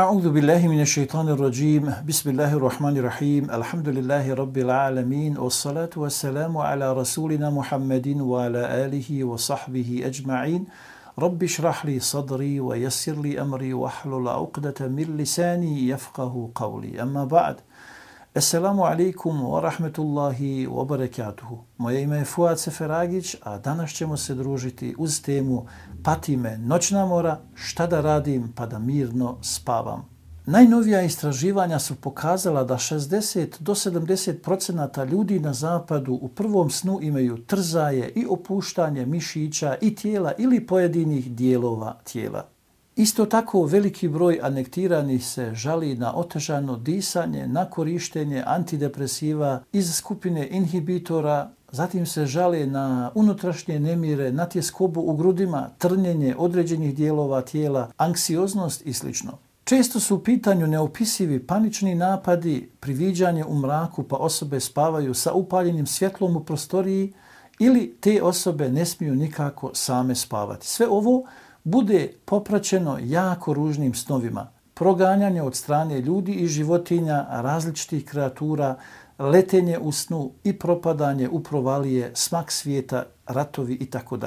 A'udhu billahi minash shaitanir rajim. Bismillahir rahmanir rahim. Alhamdulillahi rabbil alamin. Wassalatu wassalamu ala rasulina Muhammadin wa ala alihi wa sahbihi ajma'in. Rabbi shrah li sadri wa yassir li amri wa hlul 'uqdatan min lisani yafqahu qawli. Amma ba'd. Assalamu alaikum wa rahmetullahi wa barakatuhu. Moje ime je Fuad Seferagić, a danas ćemo se družiti uz temu Pati me noćna mora, šta da radim pa da mirno spavam. Najnovija istraživanja su pokazala da 60 do 70% ljudi na zapadu u prvom snu imaju trzaje i opuštanje mišića i tijela ili pojedinih dijelova tijela. Isto tako veliki broj anektiranih se žali na otežano disanje, na korištenje antidepresiva iz skupine inhibitora, zatim se žale na unutrašnje nemire, na tjeskobu u grudima, trnjenje određenih dijelova tijela, anksioznost i sl. Često su u pitanju neopisivi panični napadi, priviđanje u mraku pa osobe spavaju sa upaljenim svjetlom u prostoriji ili te osobe ne smiju nikako same spavati. Sve ovo bude popraćeno jako ružnim snovima, proganjanje od strane ljudi i životinja, različitih kreatura, letenje u snu i propadanje u provalije, smak svijeta, ratovi itd.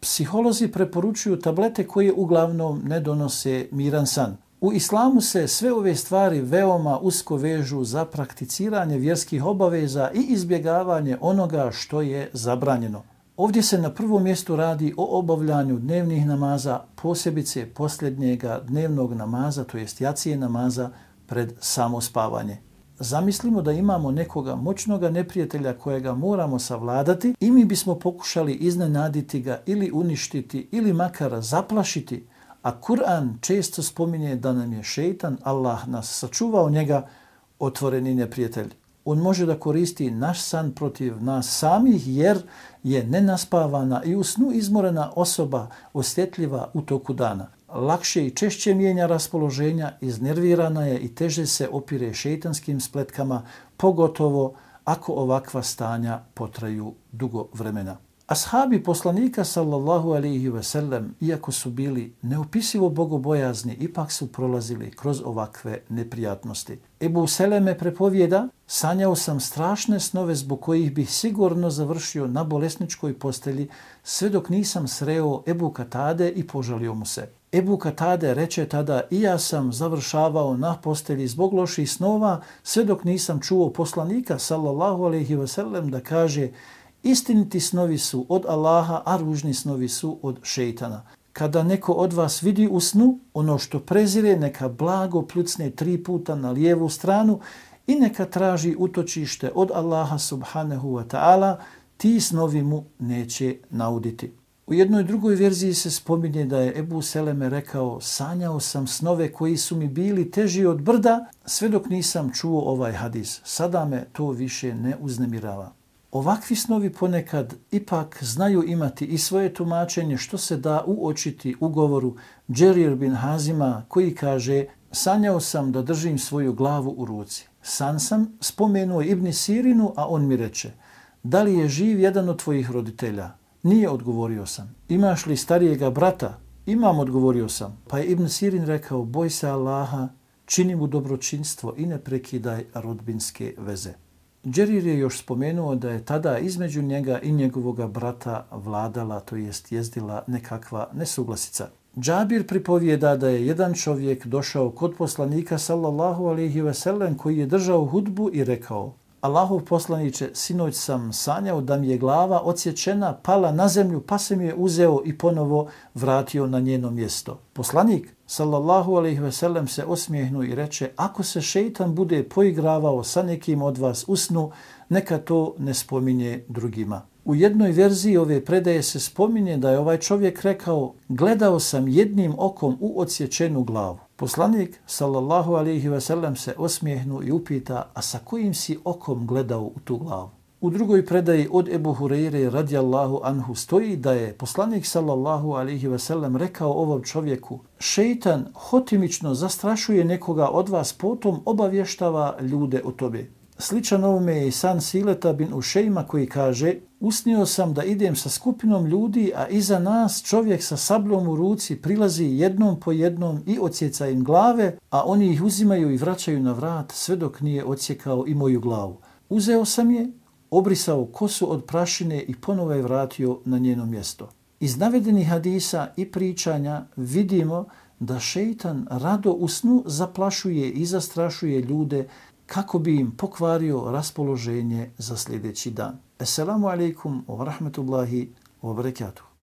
Psiholozi preporučuju tablete koje uglavnom ne donose miran san. U islamu se sve ove stvari veoma usko vežu za prakticiranje vjerskih obaveza i izbjegavanje onoga što je zabranjeno. Ovdje se na prvom mjestu radi o obavljanju dnevnih namaza, posebice posljednjega dnevnog namaza, to jest jacije namaza pred samo spavanje. Zamislimo da imamo nekoga moćnoga neprijatelja kojega moramo savladati i mi bismo pokušali iznenaditi ga ili uništiti ili makar zaplašiti, a Kur'an često spominje da nam je šejtan, Allah nas sačuvao njega, otvoreni neprijatelj. On može da koristi naš san protiv nas samih jer je nenaspavana i u snu izmorena osoba osjetljiva u toku dana. Lakše i češće mijenja raspoloženja, iznervirana je i teže se opire šejtanskim spletkama, pogotovo ako ovakva stanja potraju dugo vremena. Ashabi poslanika sallallahu alejhi ve sellem, iako su bili neopisivo bogobojazni, ipak su prolazili kroz ovakve neprijatnosti. Ebu Seleme prepovijeda: sanjao sam strašne snove zbog kojih bih sigurno završio na bolesničkoj postelji sve dok nisam sreo Ebu Katade i požalio mu se. Ebu Katade reče tada: i ja sam završavao na postelji zbog loših snova sve dok nisam čuo poslanika sallallahu alejhi ve sellem da kaže: istiniti snovi su od Allaha, a ružni snovi su od šejtana. Kada neko od vas vidi u snu ono što prezire, neka blago pljucne 3 puta na lijevu stranu i neka traži utočište od Allaha subhanahu wa ta'ala, ti snovi mu neće nauditi. U jednoj drugoj verziji se spominje da je Ebu Seleme rekao: sanjao sam snove koji su mi bili teži od brda sve dok nisam čuo ovaj hadis. Sada me to više ne uznemirava. Ovakvi snovi ponekad ipak znaju imati i svoje tumačenje, što se da uočiti u govoru Džerir bin Hazima koji kaže: sanjao sam da držim svoju glavu u ruci. San sam spomenuo Ibn Sirinu, a on mi reče: da li je živ jedan od tvojih roditelja? Nije, odgovorio sam. Imaš li starijega brata? Imam, odgovorio sam. Pa je Ibn Sirin rekao: boj se Allaha, čini mu dobročinstvo i ne prekidaj rodbinske veze. Džerir je još spomenuo da je tada između njega i njegovog brata vladala, to jest jezdila nekakva nesuglasica. Džabir pripovijeda da je jedan čovjek došao kod poslanika sallallahu alejhi ve sellem koji je držao hudbu i rekao: Allahov poslaniče, sinoć sam sanjao da mi je glava odsječena, pala na zemlju, pa se mi je uzeo i ponovo vratio na njeno mjesto. Poslanik sallallahu alejhi ve sellem se osmijehnuo i reče: ako se šejtan bude poigravao sa nekim od vas u snu, neka to ne spominje drugima. U jednoj verziji ove predaje se spominje da je ovaj čovjek rekao: gledao sam jednim okom u odsječenu glavu. Poslanik sallallahu alejhi ve sellem se osmijehnuo i upita: a sa kojim si okom gledao u tu glavu? U drugoj predaji od Ebu Hureyre radijallahu anhu stoji da je poslanik sallallahu alejhi ve sellem rekao ovom čovjeku: šejtan hotimično zastrašuje nekoga od vas, potom obavještava ljude o tome. Sličan ovome je i san Sileta bin Ušejma koji kaže: usnio sam da idem sa skupinom ljudi, a iza nas čovjek sa sablom u ruci prilazi jednom po jednom i odsjeca im glave, a oni ih uzimaju i vraćaju na vrat sve dok nije odsjekao i moju glavu. Uzeo sam je, obrisao kosu od prašine i ponovo je vratio na njeno mjesto. Iz navedenih hadisa i pričanja vidimo da šeitan rado u snu zaplašuje i zastrašuje ljude kako bi im pokvario raspoloženje za sljedeći dan. Assalamu alaikum wa rahmatullahi wa barakatuh.